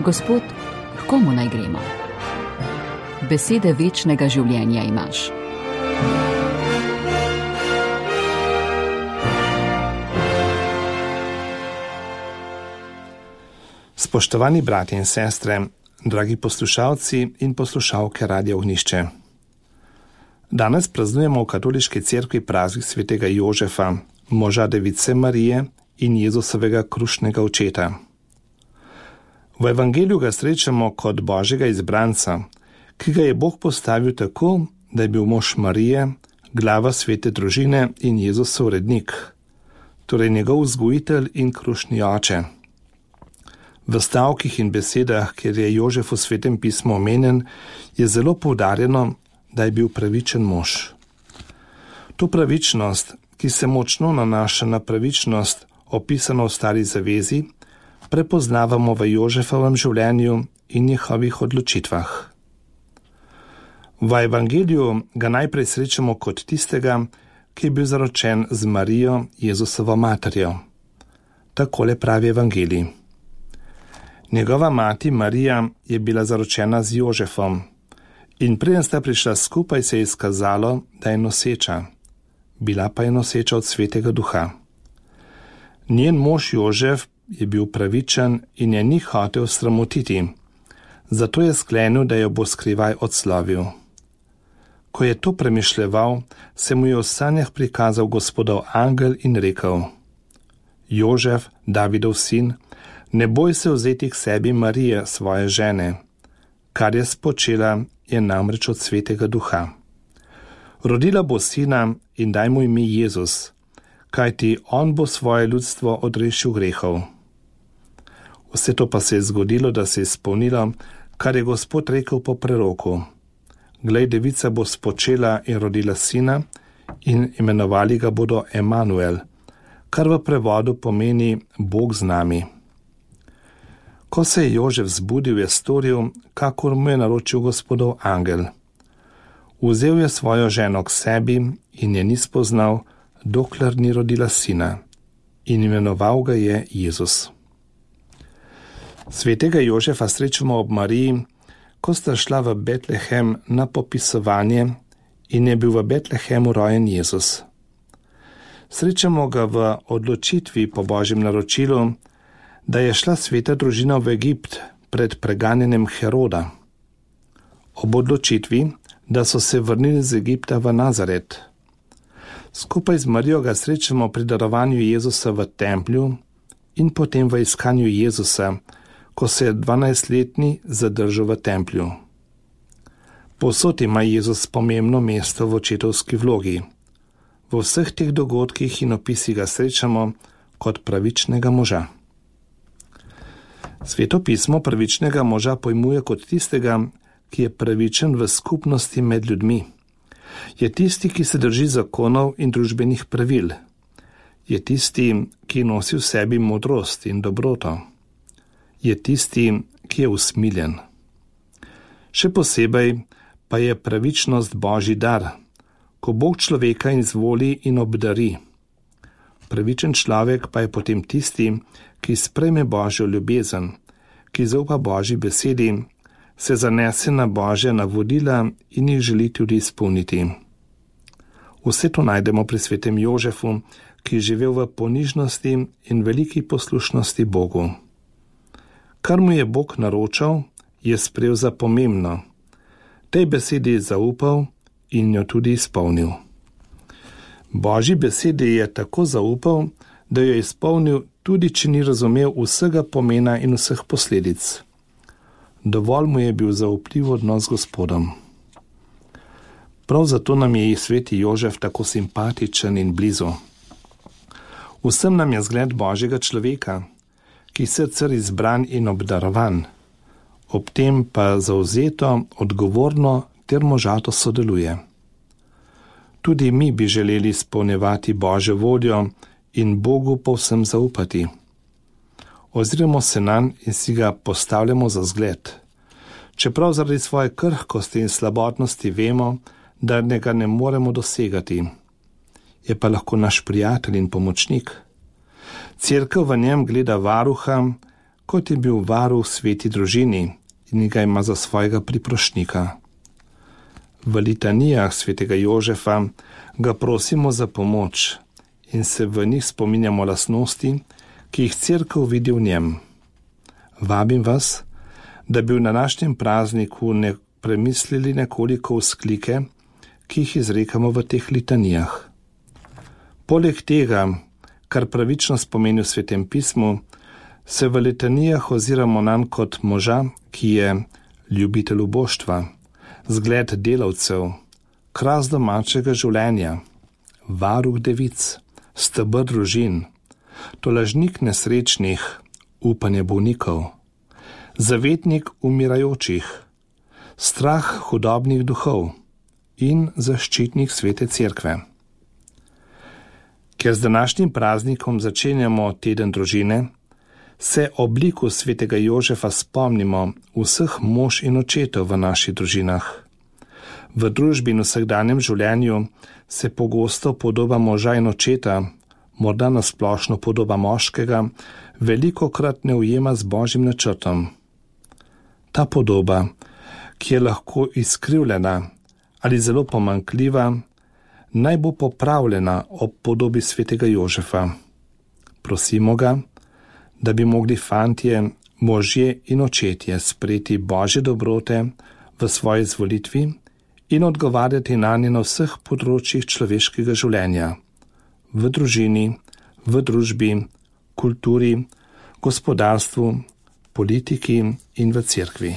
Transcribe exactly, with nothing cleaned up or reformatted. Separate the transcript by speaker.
Speaker 1: Gospod, k komu naj gremo? Besede večnega življenja imaš.
Speaker 2: Spoštovani bratje in sestre, dragi poslušalci in poslušalke Radia Ognjišče. Danes praznujemo v katoliški cerkvi praznik svetega Jožefa, moža Device Marije in Jezusovega krušnega očeta. V evangeliju ga srečamo kot Božjega izbranca, ki ga je Bog postavil tako, da je bil mož Marije, glava svete družine in Jezusov rednik, torej njegov vzgojitelj in krušni oče. V stavkih in besedah, kjer je Jožef v svetem pismu omenjen, je zelo poudarjeno, da je bil pravičen mož. To pravičnost, ki se močno nanaša na pravičnost, opisano v Stari zavezi, prepoznavamo v Jožefovem življenju in njihovih odločitvah. V evangeliju ga najprej srečamo kot tistega, ki je bil zaročen z Marijo, Jezusovo materjo. Takole pravi evangelij. Njegova mati Marija je bila zaročena z Jožefom in preden sta prišla skupaj, se je izkazalo, da je noseča. Bila pa je noseča od Svetega Duha. Njen mož Jožef je bil pravičen in je ni hotel sramotiti, zato je sklenil, da jo bo skrivaj odslovil. Ko je to premišljeval, se mu je v sanjah prikazal Gospodov angel in rekel: Jožef, Davidov sin, ne boj se vzeti k sebi Marije, svoje žene. Kar je spočela, je namreč od Svetega Duha. Rodila bo sina in daj mu ime Jezus, kajti on bo svoje ljudstvo odrešil grehov. Vse to pa se je zgodilo, da se je izpolnilo, kar je Gospod rekel po preroku. Glej, devica bo spočela in rodila sina in imenovali ga bodo Emanuel, kar v prevodu pomeni Bog z nami. Ko se je Jožef zbudil, je storil, kakor mu je naročil Gospodov angel. Vzel je svojo ženo k sebi in je ni spoznal, dokler ni rodila sina, in imenoval ga je Jezus. Svetega Jožefa srečamo ob Mariji, ko sta šla v Betlehem na popisovanje in je bil v Betlehemu rojen Jezus. Srečamo ga v odločitvi po Božjem naročilu, da je šla sveta družina v Egipt pred preganjanjem Heroda. Ob odločitvi, da so se vrnili z Egipta v Nazaret. Skupaj z Marijo ga srečamo pri darovanju Jezusa v templju in potem v iskanju Jezusa, ko se je dvanajstletni zadržal v templju. Povsod ima Jezus pomembno mesto v očetovski vlogi. V vseh teh dogodkih in opisih ga srečamo kot pravičnega moža. Sveto pismo pravičnega moža pojmuje kot tistega, ki je pravičen v skupnosti med ljudmi. Je tisti, ki se drži zakonov in družbenih pravil. Je tisti, ki nosi v sebi modrost in dobroto. Je tisti, ki je usmiljen. Še posebej pa je pravičnost Božji dar, ko Bog človeka izvoli in obdari. Pravičen človek pa je potem tisti, ki sprejme Božjo ljubezen, ki zaupa Božji besedi, se zanese na Božja navodila in jih želi tudi izpolniti. Vse to najdemo pri svetem Jožefu, ki je živel v ponižnosti in veliki poslušnosti Bogu. Kar mu je Bog naročal, je sprejel za pomembno. Tej besedi je zaupal in jo tudi izpolnil. Božji besedi je tako zaupal, da jo je izpolnil, tudi če ni razumel vsega pomena in vseh posledic. Dovolj mu je bil zaupljiv odnos z Gospodom. Prav zato nam je sveti Jožef tako simpatičen in blizu. Vsem nam je zgled Božjega človeka, ki je sicer izbran in obdarovan, ob tem pa zavzeto, odgovorno ter možato sodeluje. Tudi mi bi želeli izpolnjevati Božjo voljo in Bogu povsem zaupati. Oziramo se nanj in si ga postavljamo za zgled. Čeprav zaradi svoje krhkosti in slabotnosti vemo, da ga ne moremo dosegati. Je pa lahko naš prijatelj in pomočnik. Cerkev v njem gleda varuha, kot je bil varuh sveti družini in ga ima za svojega priprošnika. V litanijah svetega Jožefa ga prosimo za pomoč in se v njih spominjamo lastnosti, ki jih cerkev vidi v njem. Vabim vas, da bi v današnjem prazniku ne premislili nekoliko vzklike, ki jih izrekamo v teh litanijah. Poleg tega, kar pravično spomeni v Svetem pismu, se v litanijah oziramo nanj kot moža, ki je ljubitelj uboštva, zgled delavcev, kras domačega življenja, varuh devic, steber družin, tolažnik nesrečnih, upanje bolnikov, zavetnik umirajočih, strah hudobnih duhov in zaščitnik svete cerkve. Ker z današnjim praznikom začenjamo teden družine, se ob liku svetega Jožefa spomnimo vseh mož in očetov v naših družinah. V družbi in vsakdanjem življenju se pogosto podoba moža in očeta, morda nasplošno podoba moškega, velikokrat ne ujema z Božjim načrtom. Ta podoba, ki je lahko izkrivljena ali zelo pomanjkljiva, naj bo popravljena ob podobi svetega Jožefa. Prosimo ga, da bi mogli fantje, možje in očetje sprejeti Božje dobrote v svoji izvolitvi in odgovarjati nanje na vseh področjih človeškega življenja, v družini, v družbi, kulturi, gospodarstvu, politiki in v cerkvi.